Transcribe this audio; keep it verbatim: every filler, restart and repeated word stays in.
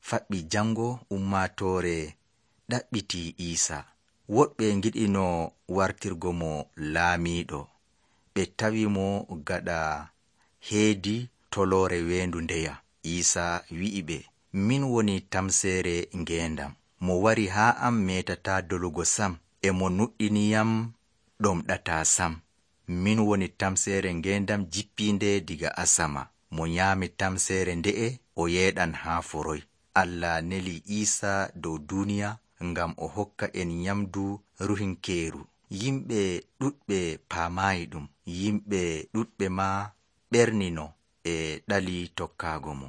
faɓɓi jango ummatoore ɗaɓɓiti Iisa. Woɗɓe ngiɗino wartirgo mo laamiiɗo. Ɓe tawi mo gaɗa heedi toloore weendu ndeya. Iisa wi'i ɓe, min woni tamseere ngeendam. Mo wari haa am metataa dolugo sam, e mo nuɗɗiniyam ɗomɗataa sam. Min woni tamseere ngeendam jippiinde diga asama. Mo nyaami tamseere nde'e o yeeɗan haa foroy. Allah neli Iisa dow duniya ngam o hokka en nyamdu ruhinkeeru. Yimɓe ɗuɗɓe paamaayi ɗum. Yimɓe ɗuɗɓe maa ɓernino e ɗali tokkaago mo.